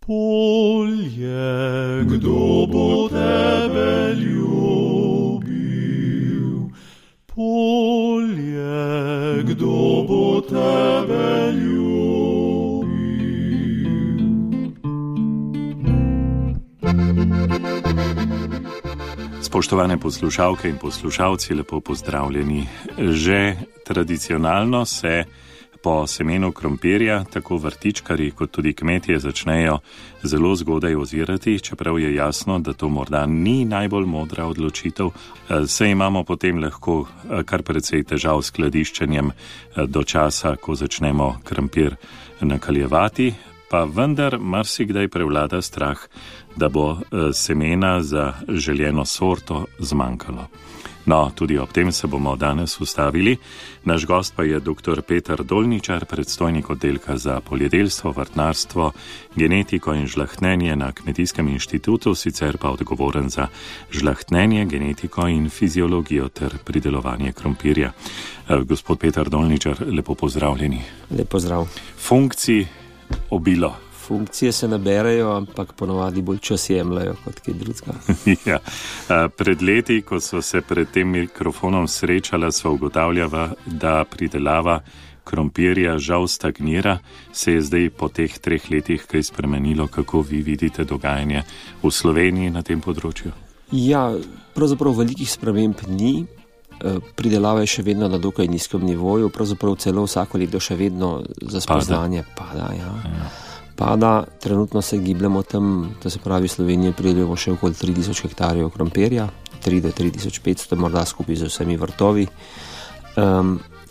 Polje, kdo bo tebe ljubil? Polje, kdo bo tebe ljubil? Spoštovane poslušalke in poslušalci, lepo pozdravljeni. Že tradicionalno se po semenu krompirja tako vrtičkarji kot tudi kmetje začnejo zelo zgodaj ozirati, čeprav je jasno, da to morda ni najbolj modra odločitev. Saj imamo potem lahko kar precej težav s skladiščenjem do časa, ko začnemo krompir nakaljevati, pa vendar marsikdaj prevlada strah, da bo semena za željeno sorto zmanjkalo. No, tudi ob tem se bomo danes ustavili. Naš gost pa je dr. Peter Dolničar, predstojnik oddelka za poljedelstvo, vrtnarstvo, genetiko in žlahtnenje na Kmetijskem inštitutu, sicer pa odgovoren za žlahtnenje, genetiko in fiziologijo ter pridelovanje krompirja. Gospod Peter Dolničar, lepo pozdravljeni. Lep pozdrav. Funkcij obilo. Funkcije se naberejo, ampak ponovadi bolj čas jemljajo kot kaj drugega. Ja. Pred leti, ko so se pred tem mikrofonom srečala, so ugotavljala, da pridelava krompirja žal stagnira. Se je zdaj po teh 3 letih kaj spremenilo? Kako vi vidite dogajanje v Sloveniji na tem področju? Ja, pravzaprav velikih sprememb ni. Pridelava je še vedno na dokaj nizkem nivoju, pravzaprav celo vsako leto še vedno za spoznanje pada. Pada, trenutno se gibljamo tam, da se pravi Slovenije pridelujemo še okoli 3000 hektarjev krompirja, 3 do 3500, morda skupaj z vsemi vrtovi.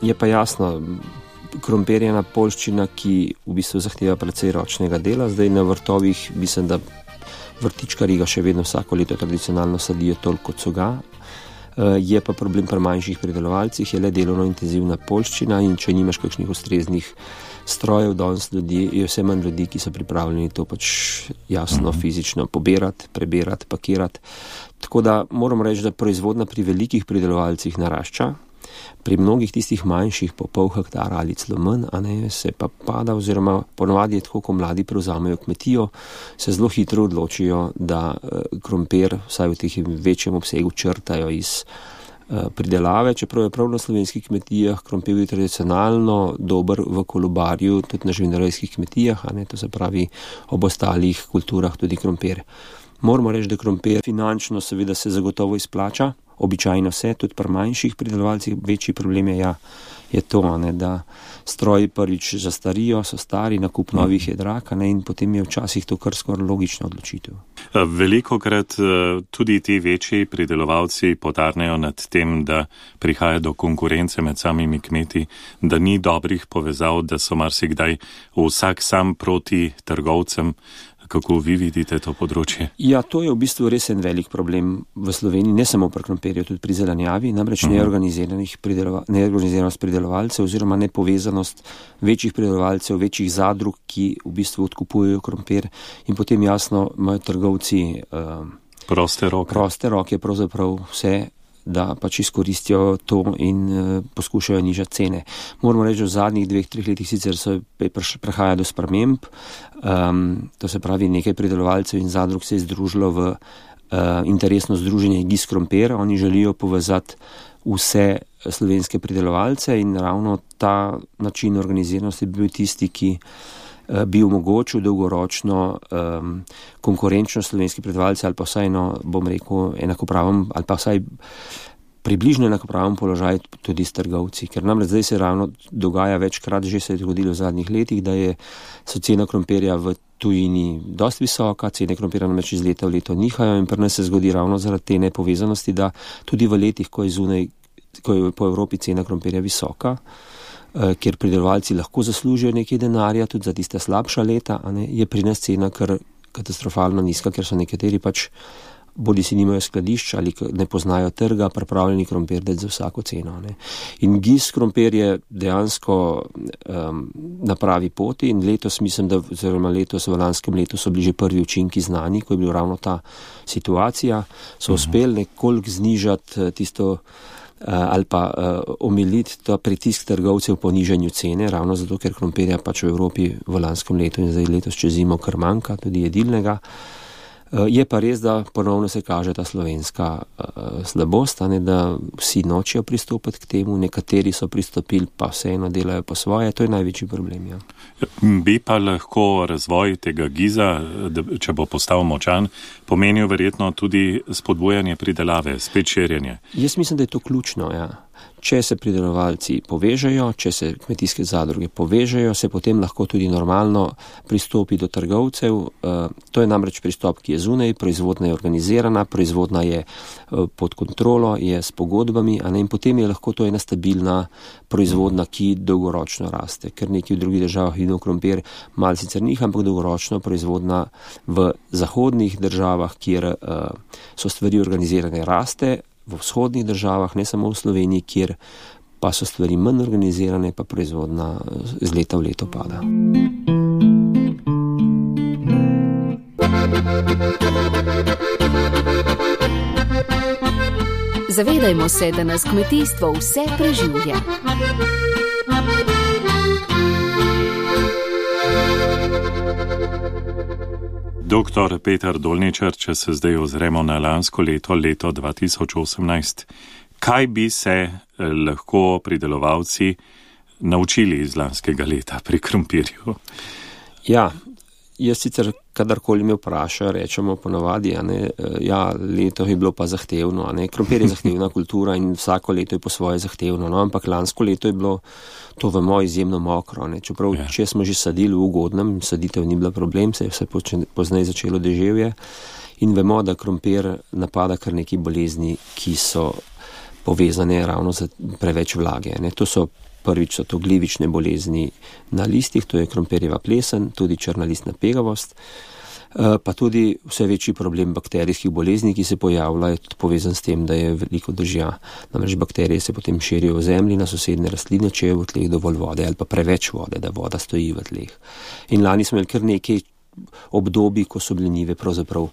Je pa jasno, krompir je ena poljščina, ki v bistvu zahteva precej ročnega dela. Zdaj na vrtovih mislim, da vrtičkarji ga še vedno vsako leto tradicionalno sadijo toliko, kot so ga. Je pa problem pri manjših pridelovalcih, je le delovno intenzivna poljščina in če nimaš kakšnih ustreznih strojev, danes ljudi, je vse manj ljudi, ki so pripravljeni to pač jasno fizično pobirati, prebirati, pakirati. Tako da moram reči, da proizvodnja pri velikih pridelovalcih narašča, pri mnogih tistih manjših po pol hektara ali celo manj, se pa pada, oziroma ponovadi je tako, ko mladi prevzamejo kmetijo, se zelo hitro odločijo, da krompir vsaj v teh večjem obsegu črtajo iz pridelave, čeprav je prav na slovenskih kmetijah krompir je tradicionalno dober v kolobarju, tudi na živinorejskih kmetijah, to se pravi ob ostalih kulturah tudi krompir. Moramo reči, da krompir finančno seveda se zagotovo izplača, običajno se, tudi pri manjših pridelovalcih. Večji problem je to, da stroji prvič zastarijo, so stari, nakup novih je drag, in potem je včasih to kar skoraj logična odločitev. Velikokrat tudi ti večji pridelovalci potarnejo nad tem, da prihaja do konkurence med samimi kmeti, da ni dobrih povezav, da so marsikdaj vsak sam proti trgovcem. Kako vi vidite to področje? Ja, to je v bistvu res en velik problem v Sloveniji, ne samo pri krompirju, tudi pri zelenjavi, namreč neorganiziranost pridelovalcev oziroma nepovezanost večjih pridelovalcev, večjih zadrug, ki v bistvu odkupujejo krompir in potem jasno imajo trgovci proste roke, pravzaprav vse, da pač izkoristijo to in poskušajo nižati cene. Moramo reči, da v zadnjih 2-3 letih sicer prihaja do sprememb, to se pravi nekaj pridelovalcev in zadrug se je združilo v interesno združenje GIS Krompir. Oni želijo povezati vse slovenske pridelovalce in ravno ta način organiziranosti bi bil tisti, ki bi omogočil dolgoročno konkurenčnost slovenskih pridelovalcev ali pa vsaj enakopraven ali pa vsaj približno enakopraven položaj tudi s trgovci. Ker namreč zdaj se ravno dogaja večkrat, že se je zgodilo v zadnjih letih, da so cena krompirja v tujini dosti visoka, cene krompirja namreč iz leta v leto nihajo in pri nas se zgodi ravno zaradi te nepovezanosti, da tudi v letih, ko je po Evropi cena krompirja visoka, kjer pridelovalci lahko zaslužijo nekaj denarja, tudi za tiste slabša leta, je pri nas cena kar katastrofalno nizka, ker so nekateri pač bodi si nimajo skladišča ali ne poznajo trga, pripravljeni krompir dati za vsako ceno. In GIS krompir je dejansko na pravi poti in letos mislim, da v lanskem letu so bili že prvi učinki znani, ko je bila ravno ta situacija, so uspeli nekoliko znižati tisto ali pa omiliti ta pritisk trgovcev po nižanju cene, ravno zato, ker krompirja pač v Evropi v lanskem letu in zdaj letos čez zimo kar manjka, tudi jedilnega. Je pa res, da ponovno se kaže ta slovenska slabost, da vsi nočejo pristopiti k temu, nekateri so pristopili, pa vseeno delajo po svoje, to je največji problem. Ja. Bi pa lahko razvoj tega giza, če bo postal močan, pomenil verjetno tudi spodbujanje pridelave, spet širjenje. Jaz mislim, da je to ključno, ja. Če se pridelovalci povežejo, če se kmetijske zadruge povežejo, se potem lahko tudi normalno pristopi do trgovcev. To je namreč pristop, ki je zunaj, proizvodnja je organizirana, proizvodnja je pod kontrolo, je s pogodbami, in potem je lahko to ena stabilna proizvodnja, ki dolgoročno raste. Ker nekaj v drugih državah vidimo krompir, malo sicer njih, ampak dolgoročno proizvodnja v zahodnih državah, kjer so stvari organizirane, raste. V vzhodnih državah, ne samo v Sloveniji, kjer pa so stvari manj organizirane, pa proizvodnja z leta v leto pada. Zavedajmo se, da nas kmetijstvo vse preživlja. Doktor Peter Dolničar, če se zdaj ozremo na lansko leto, leto 2018, kaj bi se lahko pridelovalci naučili iz lanskega leta pri krompirju? Ja, jaz sicer kadarkoli me vprašajo, rečemo ponavadi, leto je bilo pa zahtevno, krompir je zahtevna kultura in vsako leto je po svoje zahtevno, ampak lansko leto je bilo, to vemo, izjemno mokro, čeprav če smo že sadili v ugodnem, saditev ni bila problem, se je vse pozneje začelo deževje in vemo, da krompir napada kar nekaj bolezni, ki so povezane ravno z preveč vlage. Prvič so to glivične bolezni na listih, to je krompirjeva plesen, tudi črna listna pegavost, pa tudi vse večji problem bakterijskih bolezni, ki se pojavljajo, tudi povezan s tem, da je veliko dežja. Namreč bakterije se potem širijo v zemlji na sosednje rastline, če je v tleh dovolj vode ali pa preveč vode, da voda stoji v tleh. In lani smo imeli kar nekaj obdobij, ko so bile njive pravzaprav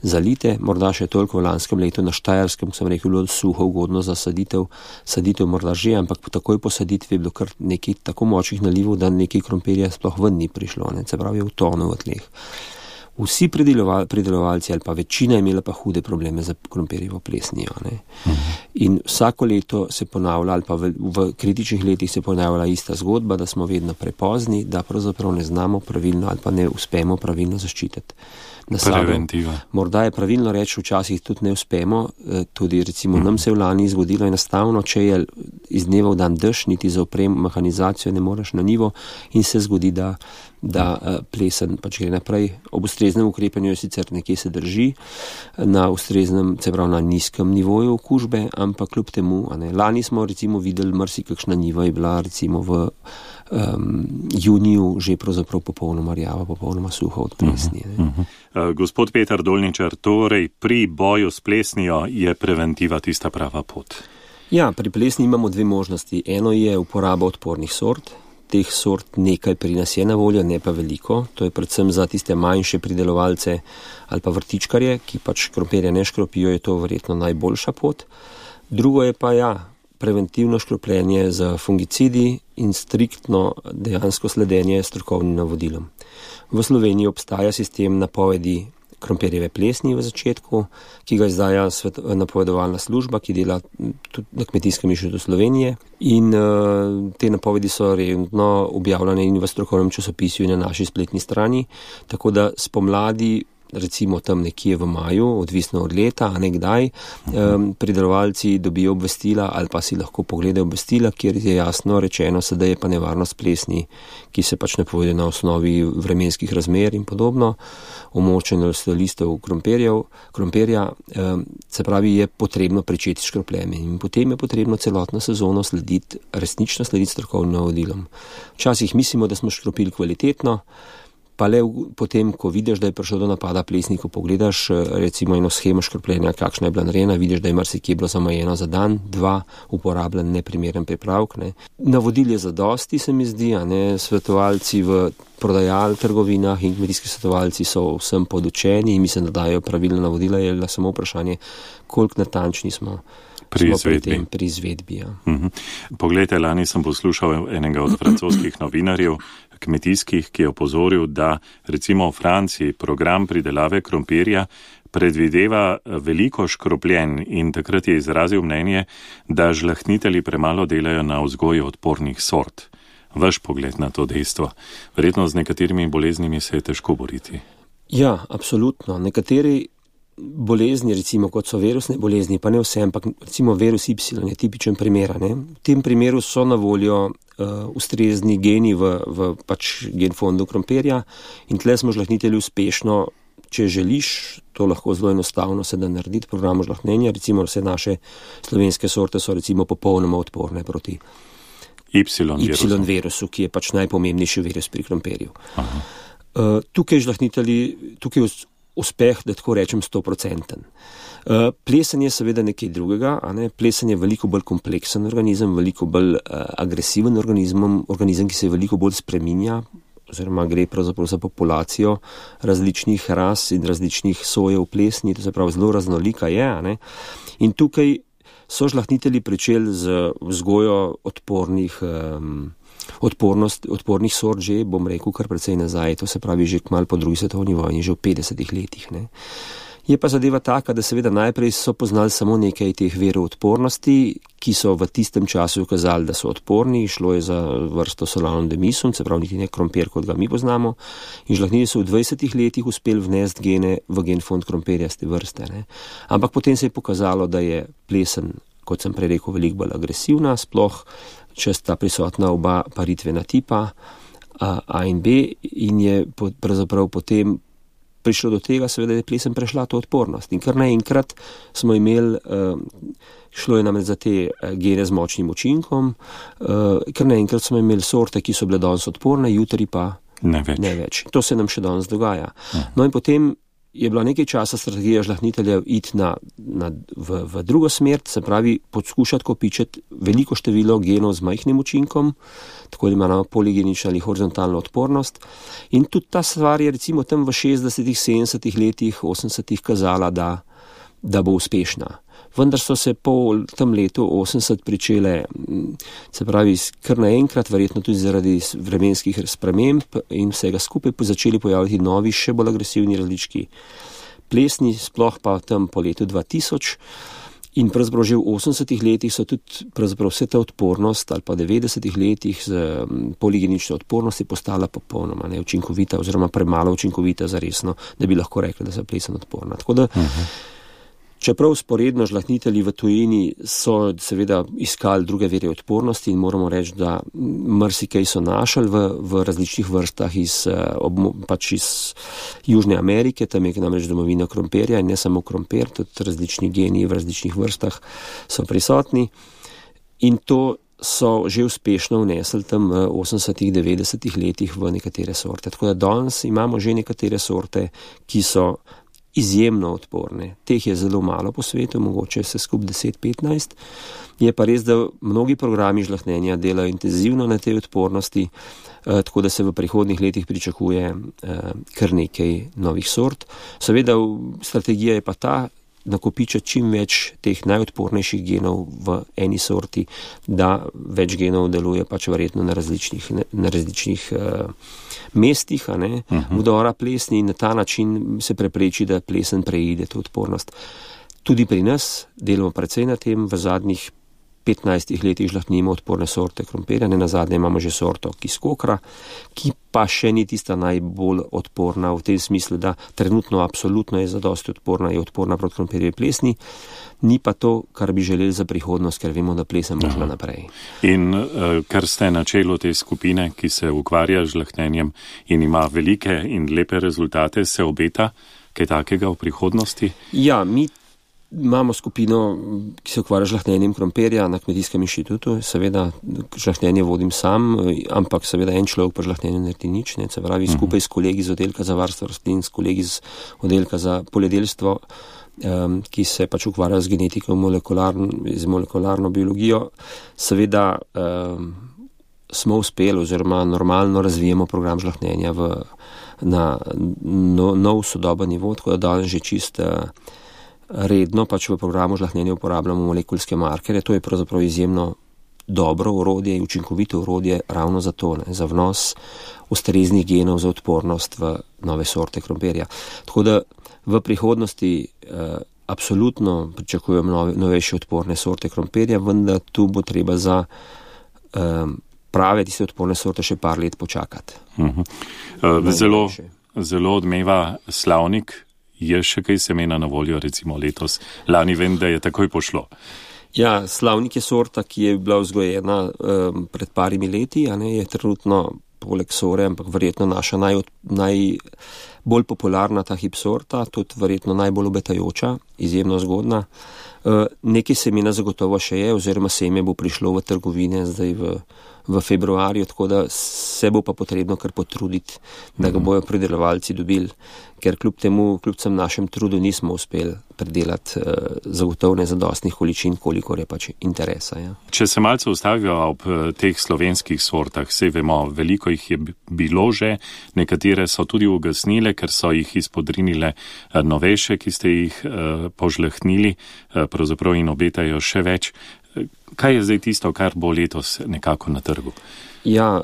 zalite, morda še toliko v lanskem letu na Štajerskem, sem rekel, bilo suho, ugodno za saditev morda že, ampak takoj po saditvi je bilo kar nekaj tako močnih nalivov, da nekaj krompirja sploh ven ni prišlo, se pravi je utonil v tleh. Vsi pridelovalci ali pa večina je imela pa hude probleme za krompirjevo plesnijo. In vsako leto se ponavlja, ali pa v kritičnih letih se ponavlja ista zgodba, da smo vedno prepozni, da pravzaprav ne znamo pravilno ali pa ne uspemo pravilno zaščititi. Preventiva. Morda je pravilno reči, včasih tudi ne uspemo, tudi recimo nam se v lani zgodilo enostavno, če je iz dneva v dan dež, niti za mehanizacijo ne moreš na njivo in se zgodi, da plesen pač gre naprej. Ob ustreznem ukrepanju sicer nekje se drži, na ustreznem, se pravi na nizkem nivoju okužbe, ampak kljub temu, lani smo recimo videli marsikakšna njiva je bila recimo v juniju že pravzaprav popolnoma rjava, popolnoma suha od plesni. Gospod Peter Dolničar, torej pri boju s plesnijo je preventiva tista prava pot? Ja, pri plesni imamo dve možnosti. Eno je uporaba odpornih sort. Teh sort nekaj pri nas je na voljo, ne pa veliko. To je predvsem za tiste manjše pridelovalce ali pa vrtičkarje, ki pač krompirja ne škropijo, je to verjetno najboljša pot. Drugo je pa preventivno škropljenje z fungicidi in striktno dejansko sledenje strokovnim navodilom. V Sloveniji obstaja sistem napovedi krompirjeve plesni v začetku, ki ga izdaja napovedovalna služba, ki dela tudi na Kmetijskem inštitutu Slovenije. In te napovedi so redno objavljene in v strokovnem časopisju in na naši spletni strani, tako da spomladi, recimo tam nekje v maju, odvisno od leta, a ne kdaj, pridelovalci dobijo obvestila ali pa si lahko pogledajo obvestila, kjer je jasno rečeno, sedaj je pa nevarnost plesni, ki se pač napovedi na osnovi vremenskih razmer in podobno, omočenje listov krompirja, se pravi, je potrebno pričeti s škropljenjem in potem je potrebno celotno sezono resnično slediti strokovnim navodilom. Včasih mislimo, da smo škropili kvalitetno, pa le potem, ko vidiš, da je prišlo do napada plesni, ko pogledaš recimo eno shemo škropljenja, kakšna je bila narejena, vidiš, da je marsikje bilo zamajeno za dan, 2 uporabljen neprimeren pripravek. Navodil je zadosti, se mi zdi, svetovalci v trgovinah in kmetijski svetovalci so vsem podučeni in mislim, da dajo pravilna navodila, je samo vprašanje, koliko natančni smo pri izvedbi. Ja. Poglejte, lani sem poslušal enega od francoskih novinarjev, kmetijskih, ki je opozoril, da recimo v Franciji program pridelave krompirja predvideva veliko škropljen in takrat je izrazil mnenje, da žlahtnitelji premalo delajo na vzgoju odpornih sort. Vaš pogled na to dejstvo. Verjetno z nekaterimi boleznimi se je težko boriti. Ja, absolutno. Nekateri bolezni, recimo kot so virusne bolezni, pa ne vse, ampak recimo virus Y je tipičen primer. V tem primeru so na voljo ustrezni geni v pač genfondu krompirja in tle smo žlahtnitelji uspešno, če želiš, to lahko zelo enostavno se da narediti programu žlahtnenja, recimo vse naše slovenske sorte so recimo popolnoma odporne proti Y-virusu, ki je pač najpomembnejši virus pri krompirju. Tukaj je uspeh, da tako rečem, 100%. Plesen je seveda nekaj drugega, plesen je veliko bolj kompleksen organizem, veliko bolj agresiven organizem, ki se veliko bolj spreminja, oziroma gre pravzaprav za populacijo različnih ras in različnih sojev plesni, to se pravi zelo raznolika je. In tukaj so žlahtnitelji pričeli z vzgojo odpornih sort že, bom rekel, kar precej nazaj, to se pravi že kmalu po drugi svetovni vojni, že v 50 letih. Je pa zadeva taka, da seveda najprej so poznali samo nekaj teh virov odpornosti, ki so v tistem času ukazali, da so odporni, šlo je za vrsto Solanum demisum, se pravi niti ne krompir, kot ga mi poznamo, in žlahtnitelji so v 20 letih uspeli vnesti gene v genfond krompirja z te vrste. Ampak potem se je pokazalo, da je plesen, kot sem prej rekel, veliko bolj agresivna, sploh če sta prisotna oba paritvena tipa A in B, in je pravzaprav potem prišlo do tega, seveda je plesen prešla to odpornost. In kar naenkrat smo imeli, šlo je namreč za te gene z močnim učinkom, kar naenkrat smo imeli sorte, ki so bile danes odporne, jutri pa ne več. To se nam še danes dogaja. No in potem je bila nekaj časa strategija žlahtniteljev iti v drugo smer, se pravi poskušati kopičiti veliko število genov z majhnim učinkom, tako imamo poligenično ali horizontalno odpornost. In tudi ta stvar je recimo tam v 60-ih, 70-ih letih, 80-ih kazala, da bo uspešna. Vendar so se po tem letu 80 pričele, se pravi, kar naenkrat, verjetno tudi zaradi vremenskih sprememb in vsega skupaj začeli pojaviti novi, še bolj agresivni različki plesni, sploh pa tam po letu 2000. In pravzaprav že v 80-ih letih so tudi pravzaprav vse ta odpornost ali pa 90-ih letih z poligenično odpornosti postala popolnoma neučinkovita oziroma premalo učinkovita za resno, da bi lahko rekli, da so plesen odporna. Tako da čeprav sporedno žlahtnitelji v tujini so seveda iskali druge vire odpornosti in moramo reči, da marsikaj so našli v različnih vrstah iz Južne Amerike, tam je namreč domovina krompirja in ne samo krompir, tudi različni geni v različnih vrstah so prisotni in to so že uspešno vnesli tam v 80-ih, 90-ih letih v nekatere sorte. Tako da danes imamo že nekatere sorte, ki so izjemno odporne. Teh je zelo malo po svetu, mogoče se skupaj 10-15. Je pa res, da mnogi programi žlahtnenja delajo intenzivno na tej odpornosti, tako da se v prihodnjih letih pričakuje kar nekaj novih sort. Seveda strategija je pa ta, nakopičati čim več teh najodpornejših genov v eni sorti, da več genov deluje pač verjetno na različnih mestih, vdora plesni in na ta način se prepreči, da plesen preide to odpornost. Tudi pri nas delamo precej na tem, v zadnjih 15 letih žlahtnimo odporne sorte krompirja, nenazadnje imamo že sorto kiskokra, ki pa še ni tista najbolj odporna v tem smislu, da trenutno absolutno je zadosti odporna, je odporna proti krompirjevi plesni, ni pa to, kar bi želeli za prihodnost, ker vemo, da plesen možno naprej. In ker ste na čelu te skupine, ki se ukvarja z žlahtnenjem in ima velike in lepe rezultate, se obeta kaj takega v prihodnosti? Ja, mi imamo skupino, ki se ukvarja z žlahtnjenjem krompirja na Kmetijskem inštitutu. Seveda žlahtnjenje vodim sam, ampak seveda en človek pa žlahtnjenje naredi nič. Se pravi, skupaj s kolegi z oddelka za varstvo rastlin, s kolegi z oddelka za poljedelstvo, ki se pač ukvarja z genetiko z molekularno biologijo, seveda smo uspeli oziroma normalno razvijemo program žlahtnjenja na nov sodoben nivo, tako da danes že čist redno pač v programu žlahtnjenja uporabljamo molekulske markerje. To je pravzaprav izjemno dobro orodje in učinkovito orodje ravno za to, za vnos ustreznih genov za odpornost v nove sorte krompirja. Tako da v prihodnosti absolutno pričakujem novejše odporne sorte krompirja, vendar tu bo treba za prave tiste odporne sorte še par let počakati. Zelo odmeva Slavnik. Je še kaj semena na voljo, recimo letos? Lani vem, da je takoj pošlo. Ja, Slavnik je sorta, ki je bila vzgojena pred parimi leti, je trenutno poleg sore, ampak verjetno naša najbolj popularna ta hip sorta, tudi verjetno najbolj obetajoča, izjemno zgodna. Nekaj semena zagotovo še je, oziroma seme bo prišlo v trgovine zdaj v februarju, tako da se bo pa potrebno kar potruditi, da ga bojo pridelovalci dobili, ker kljub vsem našem trudu nismo uspeli pridelati zagotovne zadostnih količin, kolikor je pač interesa. Ja. Če se malce ustavijo ob teh slovenskih sortah, saj vemo, veliko jih je bilo že, nekatere so tudi ugasnile, ker so jih izpodrinile novejše, ki ste jih požlehtnili, pravzaprav in obetajo še več. Kaj je zdaj tisto, kar bo letos nekako na trgu? Ja,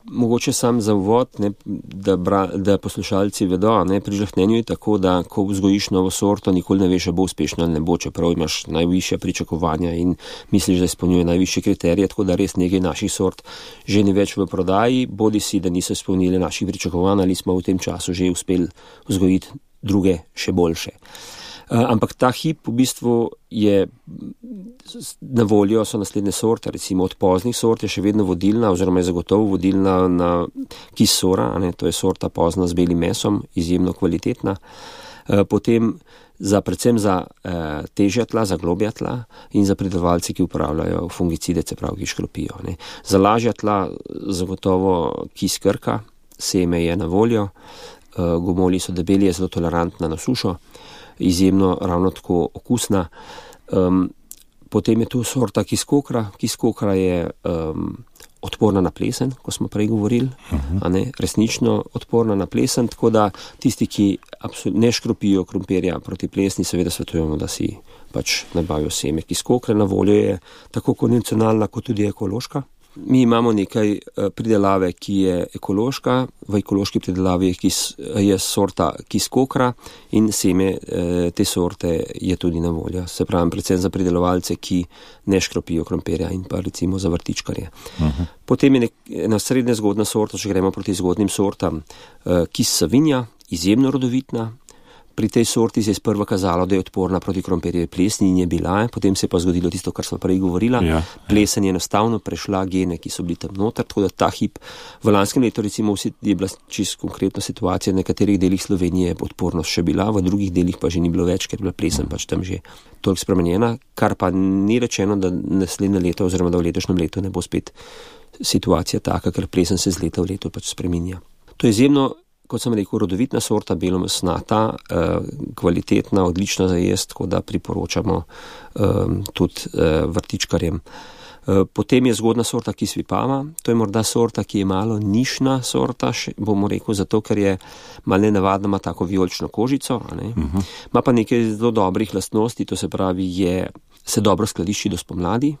mogoče sam za uvod, da poslušalci vedo, pri žlahtnjenju je tako, da ko vzgojiš novo sorto, nikoli ne veš, bo uspešna ali ne bo, čeprav imaš najvišja pričakovanja in misliš, da izpolnjuje najvišje kriterije, tako da res nekaj naših sort že ni več v prodaji, bodi si, da niso izpolnili naših pričakovanj ali smo v tem času že uspeli vzgojiti druge še boljše. Ampak ta hip v bistvu je na voljo, so naslednje sorte, recimo od poznih sort je še vedno vodilna, oziroma je zagotovo vodilna na kisora, to je sorta pozna z belim mesom, izjemno kvalitetna. Potem predvsem za težja tla, za globja tla in za pridelovalce, ki uporabljajo fungicide, se pravi, ki škropijo. Za lažja tla zagotovo kis Krka, seme je na voljo, gomolji so debeli, je zelo tolerantna na sušo, izjemno ravno tako okusna. Potem je tu sorta kis Kokra. Kis Kokra je odporna na plesen, ko smo prej govorili, resnično odporna na plesen, tako da tisti, ki ne škropijo krompirja proti plesni, seveda svetujemo, da si pač nabavijo seme kis Kokre. Na voljo je tako konvencionalna, kot tudi ekološka. Mi imamo nekaj pridelave, ki je ekološka. V ekološki pridelavi je sorta kis Kokra in seme te sorte je tudi na voljo. Se pravi, predvsem za pridelovalce, ki ne škropijo krompirja in pa recimo za vrtičkarje. Potem je ena srednje zgodna sorta, če gremo proti zgodnim sortam, kis Savinja, izjemno rodovitna. Pri tej sorti se je sprva kazalo, da je odporna proti krompirjevi plesni in je bila, potem se je pa zgodilo tisto, kar smo prej govorila. Plesen je enostavno prešla gene, ki so bili tam noter, tako da ta hip v lanskem letu recimo je bila čisto konkretna situacija, v nekaterih delih Slovenije je odpornost še bila, v drugih delih pa že ni bilo več, ker je bila plesen pač tam že toliko spremenjena, kar pa ni rečeno, da naslednje leto oziroma da v letošnjem letu ne bo spet situacija taka, ker plesen se z leta v leto pač spreminja. To je izjemno, kot sem rekel, rodovitna sorta, belomesnata, kvalitetna, odlična za jesti, tako da priporočamo tudi vrtičkarjem. Potem je zgodna sorta kis Vipava, to je morda sorta, ki je malo nišna sorta, bomo rekel, zato ker je malo nenavadna, ima tako vijolično kožico, ima pa nekaj zelo dobrih lastnosti, to se pravi, se dobro skladišči do spomladi,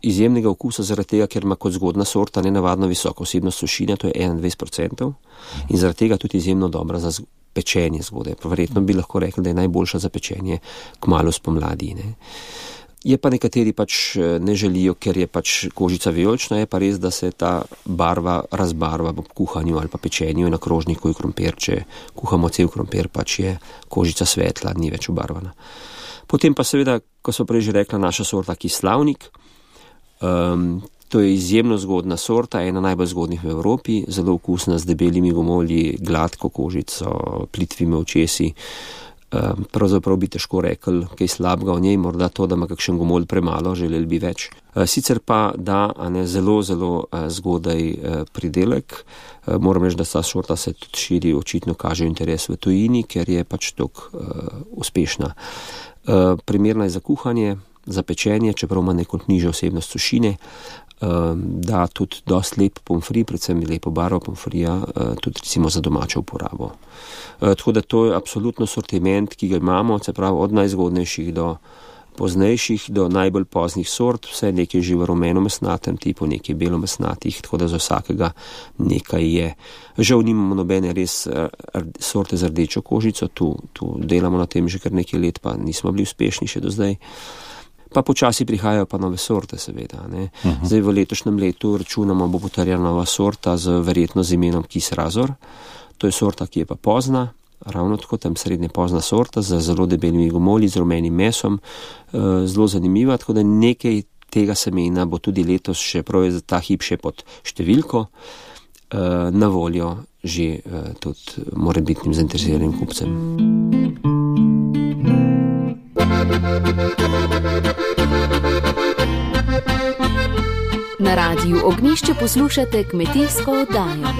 izjemnega okusa zaradi tega, ker ima kot zgodna sorta nenavadno visoko vsebnost sušine, to je 21%, in zaradi tega tudi izjemno dobra za pečenje zgodaj. Verjetno bi lahko rekli, da je najboljša za pečenje kmalu spomladi. Je pa nekateri pač ne želijo, ker je pač kožica vijolična, je pa res, da se ta barva razbarva v kuhanju ali pa pečenju na krožniku in krompir, če kuhamo cel krompir, pač je kožica svetla, ni več obarvana. Potem pa seveda, ko so prej že rekla, naša sorta kis Slavnik. To je izjemno zgodna sorta, ena najbolj zgodnih v Evropi, zelo okusna, z debelimi gomolji, gladko kožico, plitvimi očesi. Pravzaprav bi težko rekel kaj slabega o njej, morda to, da ima kakšen gomolj premalo, želeli bi več. Sicer pa da zelo, zelo zgodaj pridelek. Moram reči, da ta sorta se tudi širi, očitno kaže interes v tujini, ker je pač tako uspešna. Primerna je za kuhanje, za pečenje, čeprav ima neko nižjo vsebnost sušine, da tudi dosti lep pomfri, predvsem lepo barvo pomfrija, tudi recimo za domačo uporabo. Tako da to je absolutno sortiment, ki ga imamo, se pravi od najzgodnejših do poznejših, do najbolj poznih sort, vse nekaj že v rumenomesnatem tipu, nekaj belomesnatih, tako da za vsakega nekaj je. Žal nimamo nobene res sorte z rdečo kožico, tu delamo na tem že kar nekaj let, pa nismo bili uspešni še do zdaj. Pa počasi prihajajo pa nove sorte, seveda. Ne. Zdaj v letošnjem letu računamo, bo potrjena nova sorta verjetno z imenom Kis Razor. To je sorta, ki je pa pozna, ravno tako tam srednje pozna sorta z zelo debelimi gomolji, z rumenim mesom, zelo zanimiva, tako da nekaj tega semena bo tudi letos še prav za ta hip še pod številko na voljo že tudi morebitnim zainteresiranim kupcem. Na Radiu Ognjišče poslušate kmetijsko oddajo.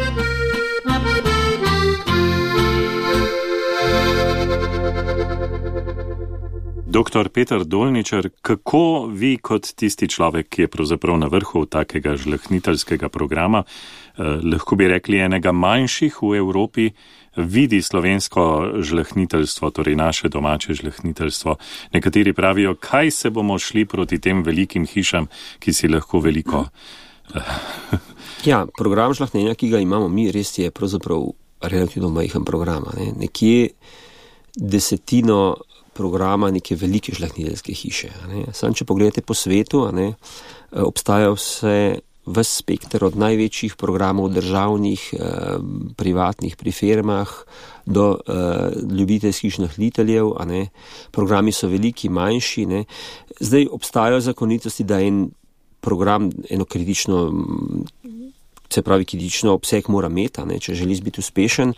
Doktor Peter Dolničar, kako vi kot tisti človek, ki je pravzaprav na vrhu takega žlahtniteljskega programa, lahko bi rekli enega manjših v Evropi, vidi slovensko žlahtniteljstvo, torej naše domače žlahtniteljstvo? Nekateri pravijo, kaj se bomo šli proti tem velikim hišam, ki si lahko veliko. Ja, program žlahtnjenja, ki ga imamo mi, res je pravzaprav relativno majhen program. Nekje desetino programa neke velike žlahtniteljske hiše. Sam, če pogledate po svetu, obstaja ves spekter od največjih programov državnih, privatnih pri firmah do ljubiteljskih žlahtniteljev. Programi so veliki, manjši. Zdaj obstajajo zakonitosti, da en program eno kritično, se pravi kritično obseg mora imeti, če želi biti uspešen.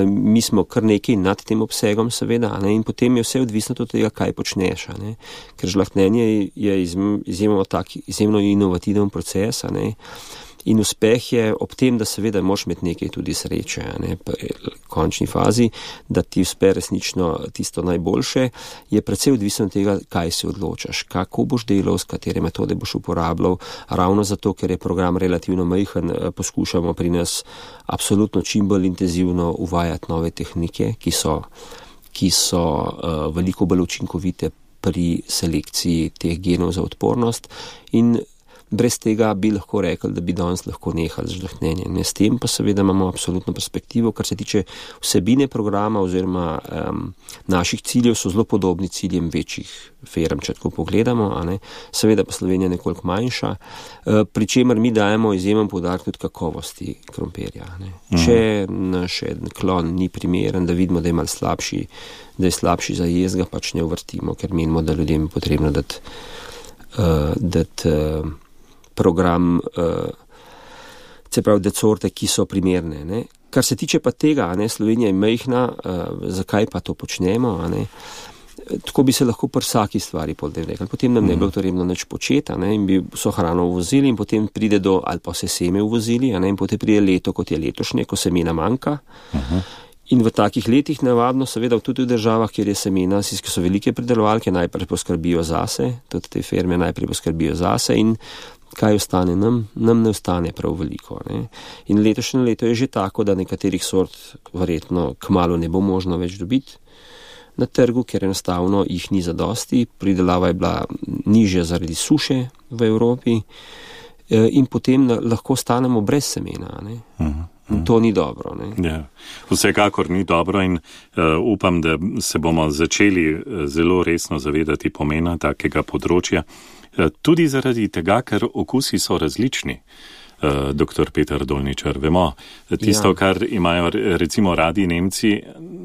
Mi smo kar nekaj nad tem obsegom, seveda, in potem je vse odvisno od tega, kaj počneš. Ker žlahtnjenje je izjemno inovativen proces, in uspeh je ob tem, da seveda moraš imeti nekaj tudi sreče, v končni fazi, da ti uspe resnično tisto najboljše, je predvsej odvisno od tega, kaj si odločaš, kako boš delal, s katere metode boš uporabljal. Ravno zato, ker je program relativno majhen, poskušamo pri nas absolutno čim bolj intenzivno uvajati nove tehnike, ki so veliko bolj učinkovite pri selekciji teh genov za odpornost, in brez tega bi lahko rekli, da bi danes lahko nehali z žlahtnjenjem. S tem pa seveda imamo absolutno perspektivo, kar se tiče vsebine programa oziroma naših ciljev, so zelo podobni ciljem večjih firm, če tako pogledamo. Seveda pa Slovenija nekoliko manjša, pri čemer mi dajemo izjemen poudarek tudi kakovosti krompirja. Če naš klon ni primeren, da vidimo, da je malo slabši, da je slabši za jez, ga pač ne uvrtimo, ker menimo, da ljudem je potrebno dati program, se pravi, da sorte, ki so primerne. Kar se tiče pa tega, Slovenija je majhna, zakaj pa to počnemo? Tako bi se lahko pri vsaki stvari rekli. Potem nam ne bi bilo potrebno nič početi, in bi vso hrano uvozili, in potem pride ali pa vse seme uvozili, in potem pride leto, kot je letošnje, ko semena manjka. In v takih letih navadno, seveda tudi v državah, kjer je semena, ki so velike pridelovalke, najprej poskrbijo zase, tudi te firme najprej poskrbijo zase, in kaj ostane nam? Nam ne ostane prav veliko. In letošnje leto je že tako, da nekaterih sort verjetno kmalu ne bo možno več dobiti na trgu, ker enostavno jih ni zadosti. Pridelava je bila nižja zaradi suše v Evropi, in potem lahko stanemo brez semena. In to ni dobro. Ja, vsekakor ni dobro, in upam, da se bomo začeli zelo resno zavedati pomena takega področja. Tudi zaradi tega, ker okusi so različni, doktor Peter Dolničar. Vemo, tisto, kar imajo recimo radi Nemci,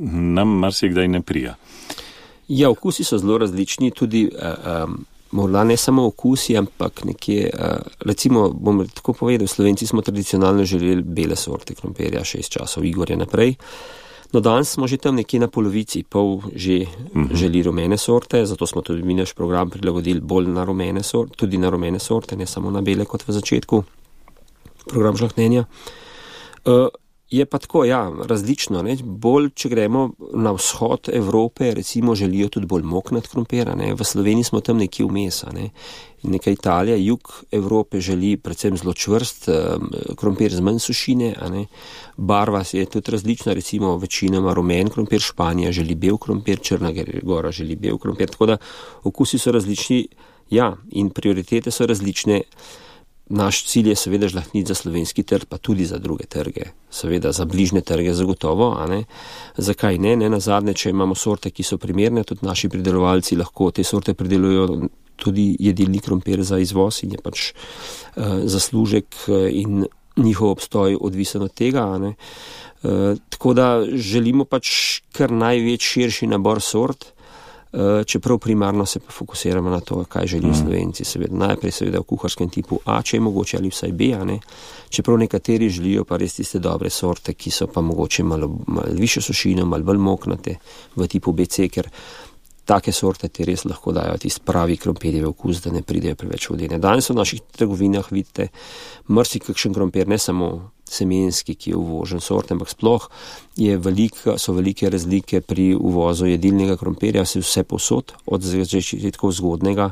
nam marsikdaj ne prija. Ja, okusi so zelo različni, tudi morda ne samo okusi, ampak nekje, recimo, bom tako povedal, Slovenci smo tradicionalno želeli bele sorte krompirja, 6 časov Igorja naprej. No, danes smo že tam nekje na polovici, pol že želi rumene sorte, zato smo tudi mi naš program prilagodili bolj na rumene sorte, tudi na rumene sorte, ne samo na bele kot v začetku program žlahtnjenja. Je pa tako, različno. Ne? Bolj, če gremo na vzhod Evrope, recimo želijo tudi bolj moknat krompir. V Sloveniji smo tam nekje vmes. Neka Italija, jug Evrope želi predvsem zelo čvrst krompir z manj sušine. Barva je tudi različna, recimo večinoma rumen krompir, Španija želi bel krompir, Črna Gora želi bel krompir. Tako da okusi so različni, in prioritete so različne. Naš cilj je seveda žlahtniti za slovenski trg, pa tudi za druge trge. Seveda za bližnje trge zagotovo, Zakaj ne? Nazadnje, če imamo sorte, ki so primerne, tudi naši pridelovalci lahko te sorte pridelujejo tudi jedilni krompir za izvoz in je pač zaslužek in njihov obstoj odvisen od tega. Tako da želimo pač kar širši nabor sort, čeprav primarno se pa fokusiramo na to, kaj želijo Slovenci. Najprej seveda v kuharskem tipu A, če je mogoče, ali vsaj B, čeprav nekateri želijo pa res tiste dobre sorte, ki so pa mogoče malo višjo sušino, malo bolj moknate v tipu BC, ker take sorte ti res lahko dajo tisti pravi krompirjev okus, da ne pridejo preveč vodene. Danes v naših trgovinah vidite marsikakšen krompir, ne samo semenski, ki je uvožen sorte, ampak sploh so velike razlike pri uvozu jedilnega krompirja, vse povsod, od začetkov zgodnega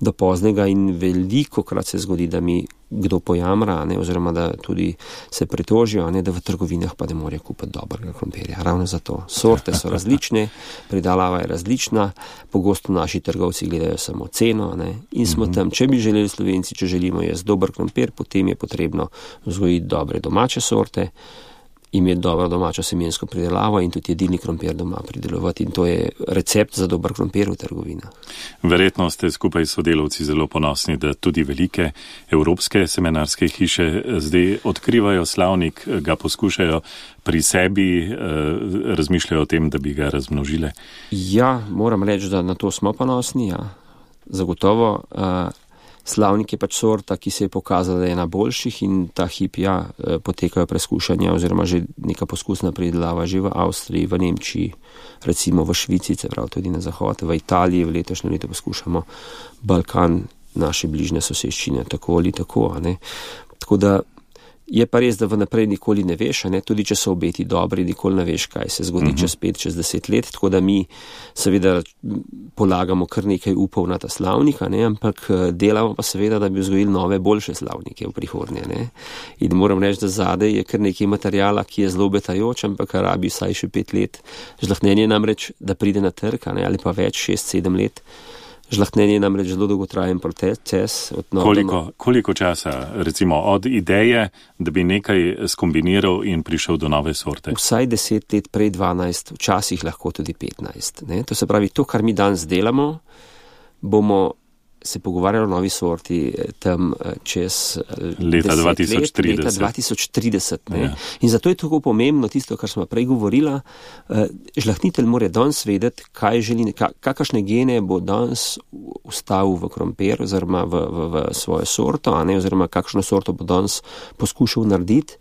do poznega, in veliko krat se zgodi, da mi kdo pojamra, oziroma da tudi se pritožijo, da v trgovinah pa ne morejo kupiti dobrega krompirja. Ravno zato. Sorte so različne, pridelava je različna, pogosto naši trgovci gledajo samo ceno, in smo tam, če bi želeli Slovenci, če želimo jesti dober krompir, potem je potrebno vzgojiti dobre domače sorte, imeti dobro domačo semensko pridelavo in tudi jedilni krompir doma pridelovati, in to je recept za dober krompir v trgovinah. Verjetno ste skupaj s sodelavci zelo ponosni, da tudi velike evropske semenarske hiše zdaj odkrivajo slavnik, ga poskušajo pri sebi, razmišljajo o tem, da bi ga razmnožile. Moram reči, da na to smo ponosni, zagotovo. Slavnik je pač sorta, ki se je pokazala, da je ena boljših, in ta hip, potekajo preskušanja oziroma že neka poskusna pridelava že v Avstriji, v Nemčiji, recimo v Švici, tudi na zahod, v Italiji v letošnjem letu poskušamo Balkan, naše bližnje soseščine, tako ali tako. Tako da je pa res, da vnaprej nikoli ne veš, tudi če so obeti dobri, nikoli ne veš, kaj se zgodi čez 5, čez 10 let, tako da mi seveda polagamo kar nekaj upov na ta slavnik, ampak delamo pa seveda, da bi vzgojili nove, boljše slavnike v prihodnje. In moram reči, da zadaj je kar nekaj materijala, ki je zelo obetajoč, ampak rabi vsaj še 5 let. Žlahtnjenje namreč, da pride na trg, ali pa več, 6-7 let. Žlahtnjenje je namreč zelo dolgotrajen proces. Koliko časa, recimo, od ideje, da bi nekaj skombiniral in prišel do nove sorte? Vsaj 10 let, prej 12, včasih lahko tudi 15. To se pravi, to, kar mi danes delamo, bomo se pogovarjali o novi sorti tam čez leta 2030. Leta 2030. In zato je tako pomembno tisto, kar smo prej govorila. Žlahtnitelj mora danes vedeti, kaj želi, kakšne gene bo danes vstavil v krompir oziroma v svojo sorto, oziroma kakšno sorto bo danes poskušal narediti.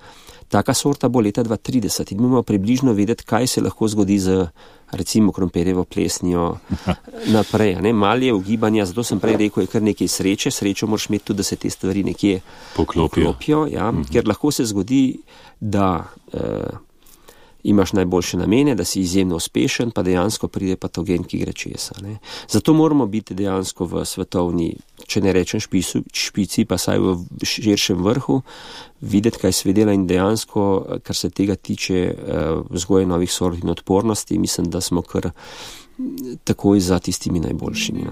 Taka sorta bo leta 2030 in moramo približno vedeti, kaj se lahko zgodi z recimo krompirjevo plesnijo naprej. Malo je ugibanja, zato sem prej rekel, je kar nekaj sreče. Srečo moraš imeti tudi, da se te stvari nekje poklopijo. Ker lahko se zgodi, da imaš najboljše namene, da si izjemno uspešen, pa dejansko pride patogen, ki gre česa. Zato moramo biti dejansko v svetovni, če ne rečem špici, pa saj v širšem vrhu, videti, kaj se dela, in dejansko, kar se tega tiče vzgoje novih sort in odpornosti, mislim, da smo kar takoj za tistimi najboljšimi.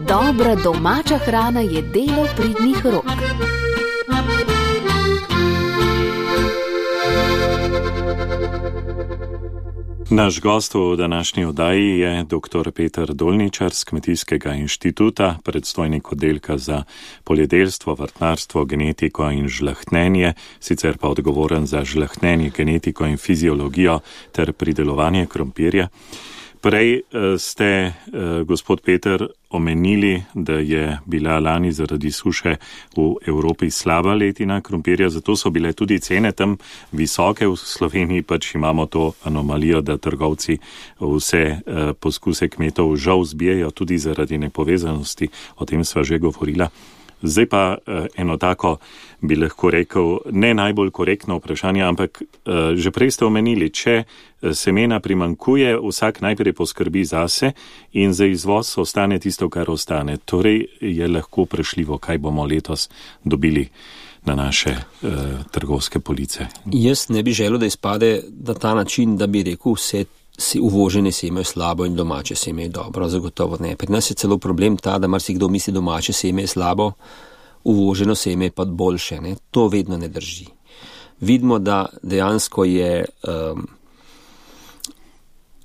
Dobra domača hrana je delo pridnih rok. Naš gost v današnji oddaji je dr. Peter Dolničar z Kmetijskega inštituta, predstojnik oddelka za poljedelstvo, vrtnarstvo, genetiko in žlahtnenje, sicer pa odgovoren za žlahtnenje, genetiko in fiziologijo ter pridelovanje krompirja. Prej ste, gospod Peter, omenili, da je bila lani zaradi suše v Evropi slaba letina krompirja, zato so bile tudi cene tam visoke. V Sloveniji pač imamo to anomalijo, da trgovci vse poskuse kmetov žal zbijajo tudi zaradi nepovezanosti, o tem sva že govorila. Zdaj pa eno tako, bi lahko rekel, ne najbolj korektno vprašanje, ampak že prej ste omenili, če semena primankuje, vsak najprej poskrbi zase in za izvoz ostane tisto, kar ostane. Torej je lahko vprašljivo, kaj bomo letos dobili na naše trgovske police. Jaz ne bi želel, da izpade na ta način, da bi rekel vse uvožene seme je slabo in domače seme je dobro, zagotovo ne. Pri nas je celo problem ta, da marsikdo misli, domače seme je slabo, uvoženo seme je pa boljše. Ne? To vedno ne drži. Vidimo, da dejansko je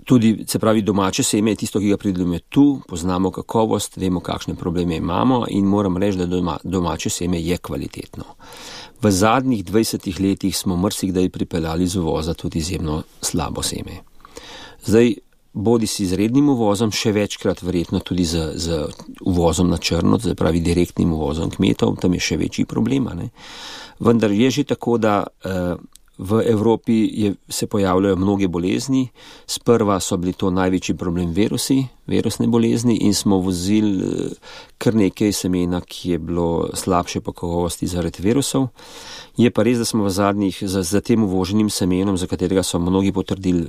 tudi, se pravi, domače seme je tisto, ki ga pridelujemo tu, poznamo kakovost, vemo, kakšne probleme imamo in moram reči, da domače seme je kvalitetno. V zadnjih 20 letih smo marsikdaj pripeljali z uvoza tudi izjemno slabo seme. Zdaj, bodi si z rednim uvozom, še večkrat verjetno tudi z uvozom na črno, se pravi direktnim uvozom kmetov, tam je še večji problem. Vendar je že tako, da v Evropi se pojavljajo mnoge bolezni. Sprva so bili to največji problem virusne bolezni in smo vozili kar nekaj semena, ki je bilo slabše po kakovosti zaradi virusov. Je pa res, da smo v zadnjih, za tem uvoženim semenom, za katerega so mnogi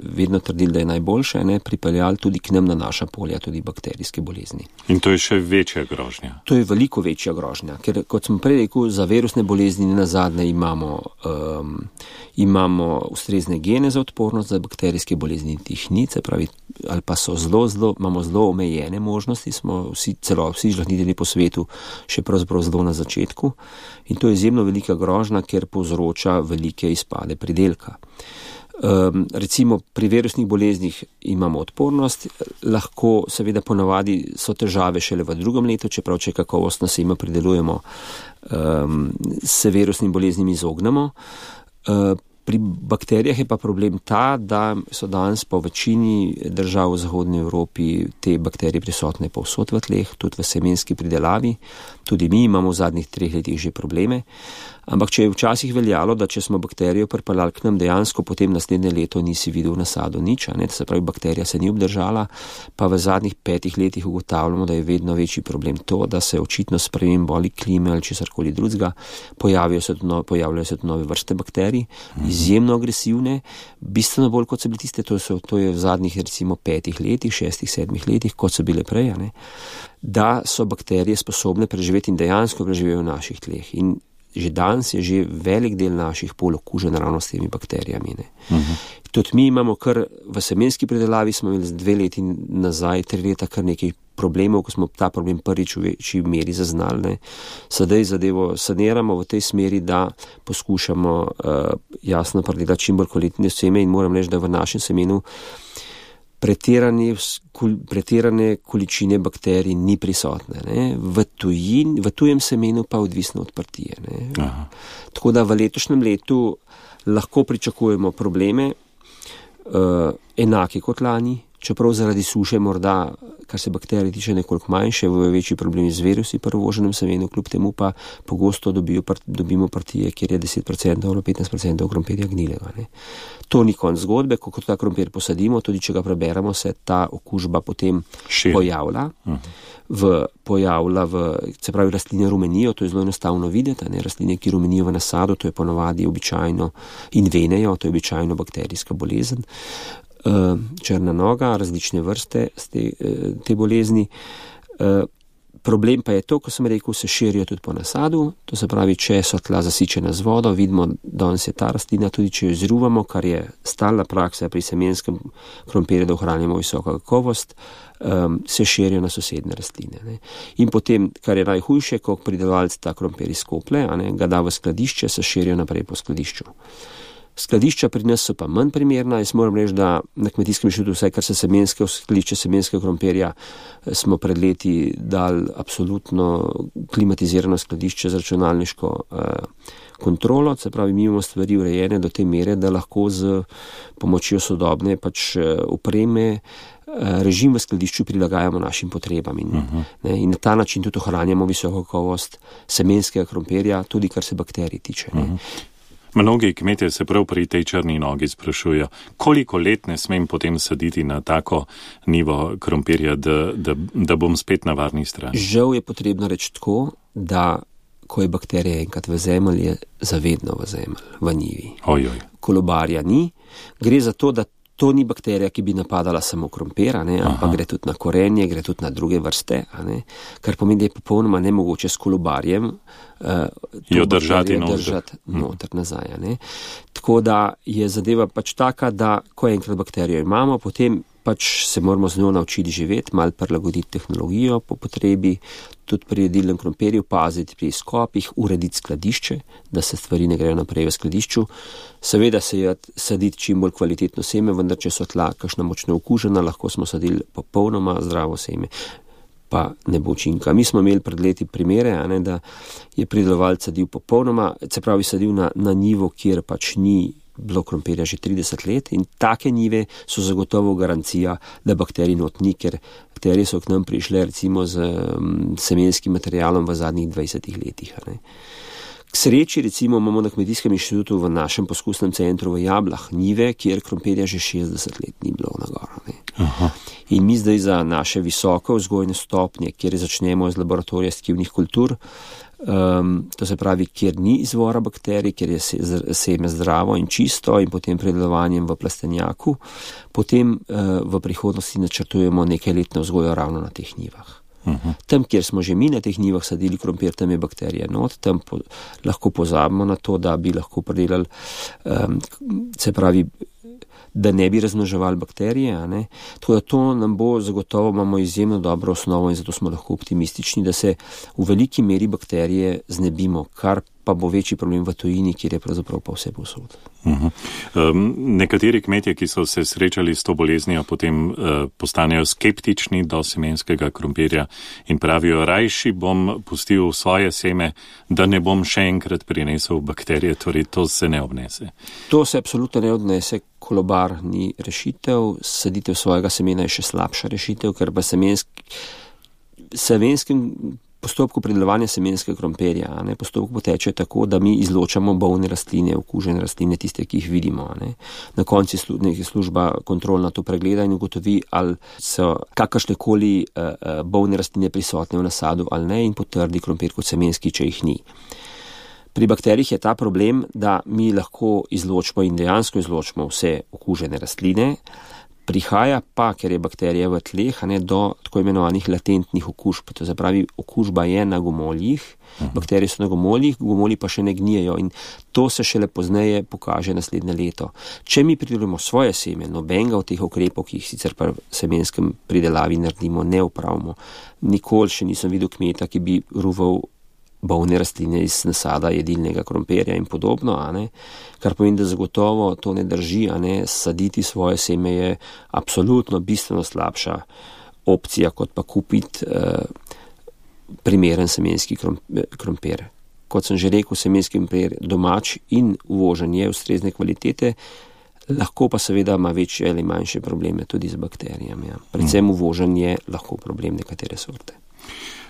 vedno trdili, da je najboljše, pripeljali tudi k nam na naša polja tudi bakterijske bolezni. In to je še večja grožnja? To je veliko večja grožnja, ker kot sem prej rekel, za virusne bolezni nazadnje imamo ustrezne gene za odpornost, za bakterijske bolezni tih ni, se pravi, ali pa so imamo zelo omejene možnosti, smo vsi žlahtnitelji po svetu še pravzaprav zelo na začetku in to je izjemno velika grožnja, ker povzroča velike izpade pridelka. Recimo pri virusnih boleznih imamo odpornost, lahko seveda ponavadi so težave šele v drugem letu, čeprav če kakovostno seme pridelujemo, se virusnim boleznim izognemo. Pri bakterijah je pa problem ta, da so danes po večini držav v Zahodni Evropi te bakterije prisotne povsod v tleh, tudi v semenski pridelavi. Tudi mi imamo v zadnjih 3 letih že probleme. Ampak če je včasih veljalo, da če smo bakterijo pripeljali k nam, dejansko potem naslednje leto nisi videl v nasadu nič, se pravi, bakterija se ni obdržala, pa v zadnjih 5 letih ugotavljamo, da je vedno večji problem to, da se očitno spremembo ali klime ali česarkoli drugega, pojavljajo se nove vrste bakterij, izjemno agresivne, bistveno bolj kot so bili tiste, to je v zadnjih recimo 5 letih, 6, 7 letih, kot so bile prej, da so bakterije sposobne preživeti in dejansko preživijo v naših tleh. In že danes je že velik del naših polj okužen ravno s temi bakterijami. Tudi mi imamo kar v semenski pridelavi, smo imeli 2 leti nazaj, 3 leta kar nekaj problemov, ko smo ta problem prvič v večji meri zaznali. Sedaj zadevo saniramo v tej smeri, da poskušamo jasno pridelati čim bolj kvalitetne seme in moram reči, da v našem semenu pretirane količine bakterij ni prisotne. V tujem semenu pa odvisno od partije. Tako da v letošnjem letu lahko pričakujemo probleme enake kot lani, čeprav zaradi suše morda, kar se bakterij tiče, nekoliko manjše, v večji problemi z virusi pri uvoženem semenu, kljub temu pa pogosto dobimo partije, kjer je 10% ali 15% krompirja gnilega. To ni konc zgodbe, ko ta krompir posadimo, tudi če ga preberemo, se ta okužba potem pojavlja. Se pravi, rastline rumenijo, to je zelo enostavno videti, rastline, ki rumenijo v nasadu, to je ponovadi običajno in venejo, to je običajno bakterijska bolezen. Črna noga, različne vrste te bolezni. Problem pa je to, ko sem rekel, se širijo tudi po nasadu, to se pravi, če so tla zasičena z vodo, vidimo, danes je ta rastlina, tudi če jo izruvamo, kar je stalna praksa pri semenskem krompirju, da ohranjamo visoko kakovost, se širijo na sosednje rastline. In potem, kar je najhujše, ko pridelovalec ta krompir izkoplje, ga da v skladišče, se širijo naprej po skladišču. Skladišča pri nas so pa manj primerna. Jaz moram reči, da na Kmetijskem inštitutu, vsaj kar se skladišče semenskega krompirja, smo pred leti dali absolutno klimatizirano skladišče z računalniško kontrolo, se pravi, mi imamo stvari urejene do te mere, da lahko z pomočjo sodobne opreme režim v skladišču prilagajamo našim potrebam in na ta način tudi ohranjamo visoko kakovost semenskega krompirja, tudi kar se bakterij tiče. Mnogi kmetje se prav pri tej črni nogi sprašujejo, koliko let ne smem potem saditi na tako nivo krompirja, da bom spet na varni strani. Žal je potrebno reči tako, da ko je bakterija enkrat v zemlji, je zavedno v zemlji, v njivi. Kolobarja ni. Gre za to, da to ni bakterija, ki bi napadala samo krompir, ampak gre tudi na korenje, gre tudi na druge vrste, kar pomeni, da je popolnoma nemogoče s kolobarjem jo držati noter nazaj. Tako da je zadeva pač taka, da ko enkrat bakterijo imamo, potem pač se moramo z njo naučiti živeti, malo prilagoditi tehnologijo po potrebi, tudi pri jedilnem krompirju paziti pri izkopih, urediti skladišče, da se stvari ne grejo naprej v skladišču. Seveda se saditi čim bolj kvalitetno seme, vendar če so tla kakšna močno okužena, lahko smo sadili popolnoma zdravo seme, pa ne bo učinka. Mi smo imeli pred leti primere, da je pridelovalec sadil popolnoma, se pravi sadil na njivo, kjer pač ni bilo krompirja že 30 let in take njive so zagotovo garancija, da bakterij not ni, ker bakterije so k nam prišle recimo z semenskim materialom v zadnjih 20 letih. K sreči recimo imamo na Kmetijskem inštitutu v našem poskusnem centru v Jablah njive, kjer krompirja že 60 let ni bilo na goro. In mi zdaj za naše visoke vzgojne stopnje, kjer začnemo z laboratorija stkivnih kultur, to se pravi, kjer ni izvora bakterij, kjer je seme zdravo in čisto in potem predelovanjem v plastenjaku, potem v prihodnosti načrtujemo nekaj letno vzgojo ravno na teh njivah. Tam, kjer smo že mi na teh njivah sadili krompir, tam je bakterija not, tam lahko pozabimo na to, da bi lahko predelali, se pravi, da ne bi razmnoževali bakterije. Tako da to nam bo zagotovo, imamo izjemno dobro osnovo in zato smo lahko optimistični, da se v veliki meri bakterije znebimo, kar pa bo večji problem v tujini, kjer je pravzaprav pa vse povsod. Nekateri kmetje, ki so se srečali s to boleznijo, potem postanejo skeptični do semenskega krompirja in pravijo, rajši bom pustil svoje seme, da ne bom še enkrat prinesel bakterije, torej to se ne obnese. To se absolutno ne odnese, kolobar ni rešitev, saditev svojega semena je še slabša rešitev, ker pa semenskem postopku pridelovanja semenskega krompirja, postopek poteče tako, da mi izločamo bolne rastline, okužene rastline, tiste, ki jih vidimo. Na koncu služba kontrolna to pregleda in ugotovi, ali so kakršnekoli bolne rastline prisotne v nasadu ali ne in potrdi krompir kot semenski, če jih ni. Pri bakterijah je ta problem, da mi lahko izločimo in dejansko izločimo vse okužene rastline, prihaja pa, ker je bakterija v tleh, do tako imenovanih latentnih okužb. To se pravi, okužba je na gomoljih, bakterije so na gomoljih, gomolji pa še ne gnijejo in to se šele pozneje pokaže naslednje leto. Če mi pridelujemo svoje seme, nobenega od teh ukrepov, ki jih sicer pa v semenskem pridelavi naredimo, ne upravimo, nikoli še nisem videl kmeta, ki bi ruval bolne rastline iz nasada jedilnega krompirja in podobno, kar pomeni, da zagotovo to ne drži, saditi svoje seme je absolutno bistveno slabša opcija, kot pa kupiti primeren semenski krompir. Kot sem že rekel, semenski krompir domač in uvožen je ustrezne kvalitete, lahko pa seveda ima večje ali manjše probleme tudi z bakterijami. Predvsem uvožen je lahko problem nekatere sorte.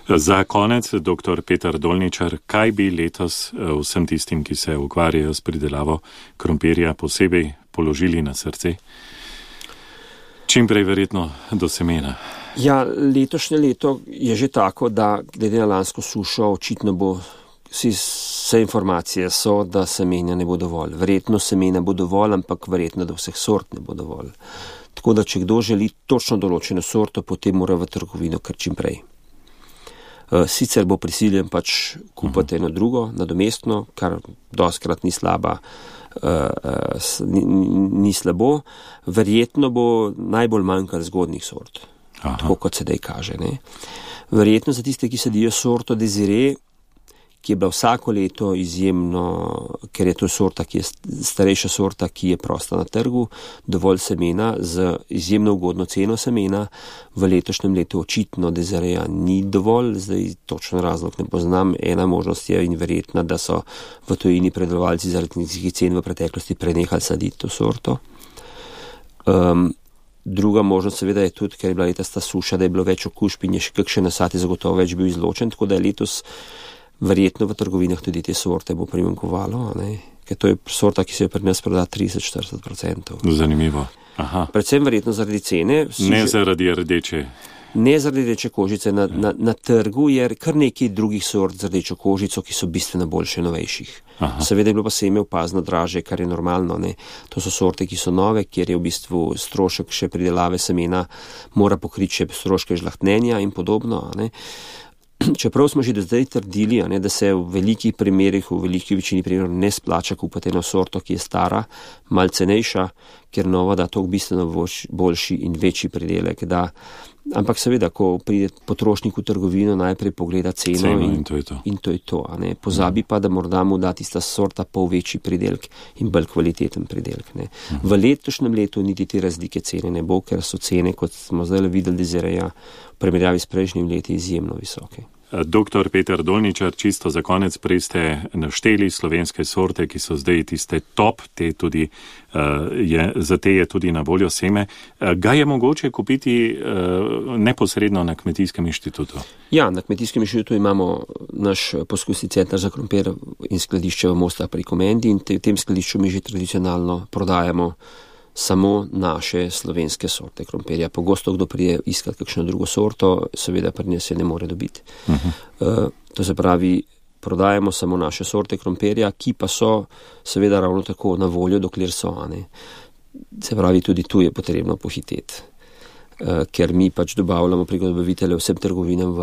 Za konec, dr. Peter Dolničar, kaj bi letos vsem tistim, ki se ukvarjajo s pridelavo krompirja, posebej položili na srce? Čim prej verjetno do semena. Ja, letošnje leto je že tako, da glede na lansko sušo očitno bo, vse informacije so, da semenja ne bo dovolj. Verjetno semena bo dovolj, ampak verjetno da vseh sort ne bo dovolj. Tako da, če kdo želi točno določeno sorto, potem mora v trgovino kar čim prej. Sicer bo prisiljen pač kupiti eno drugo, nadomestno, kar dostikrat ni slabo. Verjetno bo najbolj manjkalo zgodnjih sort, tako kot sedaj kaže. Verjetno za tiste, ki sadijo sorto Desiree, ki je bila vsako leto izjemno, ker je to sorta, ki je starejša sorta, ki je prosta na trgu, dovolj semena z izjemno ugodno ceno semena. V letošnjem letu očitno Dezireja ni dovolj, zdaj točno razlog ne poznam. Ena možnost je in verjetna, da so v tujini predelovalci zaradi nizkih cen v preteklosti prenehali saditi to sorto. Druga možnost seveda je tudi, ker je bila letos ta suša, da je bilo več okužb in je še kakšen nasad je zagotovo več bil izločen, tako da je letos verjetno v trgovinah tudi te sorte bo primanjkovalo, ker to je sorta, ki se je pri nas proda 30-40%. Zanimivo. Aha. Predvsem verjetno zaradi cene. Zaradi rdeče. Ne zaradi rdeče kožice. Na trgu je kar nekaj drugih sort z rdečo kožico, ki so bistveno boljše, novejših. Aha. Seveda je bilo pa seme opazno draže, kar je normalno. To so sorte, ki so nove, kjer je v bistvu strošek še pridelave semena, mora pokriti še stroške žlahtnenja in podobno. Čeprav smo že do zdaj trdili, da se v velikih primerih, v veliki večini primerov ne splača kupiti eno sorto, ki je stara, malo cenejša, ker nova da toliko bistveno boljši in večji pridelek. Ampak seveda, ko pride potrošnik v trgovino, najprej pogleda ceno in to je to. Pozabi pa, da morda mu da tista sorta pol večji pridelek in bolj kvaliteten pridelek. V letošnjem letu niti te razlike cene ne bo, ker so cene, kot smo zdaj videli, Dezireja v primerjavi s prejšnjim leti izjemno visoke. Dr. Peter Dolničar, čisto za konec, prej ste našteli slovenske sorte, ki so zdaj tiste top, za te je tudi na voljo seme. Ga je mogoče kupiti neposredno na Kmetijskem inštitutu? Ja, na Kmetijskem inštitutu imamo naš poskusni center za krompir in skladišče v Mostah pri Komendi in v tem skladišču mi že tradicionalno prodajamo samo naše slovenske sorte krompirja. Pogosto kdo prije iskati kakšno drugo sorto, seveda pri nas se ne more dobiti. To se pravi, prodajamo samo naše sorte krompirja, ki pa so seveda ravno tako na voljo, dokler so. Se pravi, tudi tu je potrebno pohiteti. Ker mi pač dobavljamo preko dobaviteljev vsem trgovinam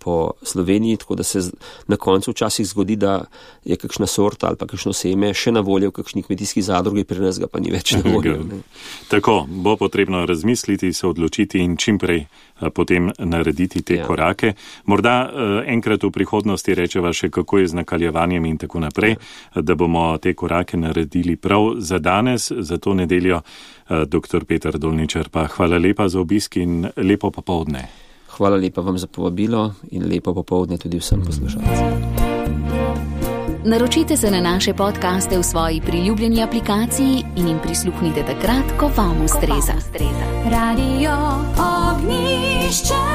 po Sloveniji, tako da se na koncu včasih zgodi, da je kakšna sorta ali pa kakšno seme še na voljo v kakšni kmetijski zadrugi, pri nas ga pa ni več na voljo. Tako, bo potrebno razmisliti, se odločiti in čimprej potem narediti te korake. Morda enkrat v prihodnosti rečeva še, kako je z nakaljevanjem in tako naprej, da bomo te korake naredili prav za danes, za to nedeljo. Dr. Peter Dolničar, pa hvala lepa za obisk in lepo popoldne. Hvala lepa vam za povabilo in lepo popoldne tudi vsem poslušalcem. Naročite se na naše podcaste v svoji priljubljeni aplikaciji in jim prisluhnite takrat, ko vam ustreza. Radio Ognjišče.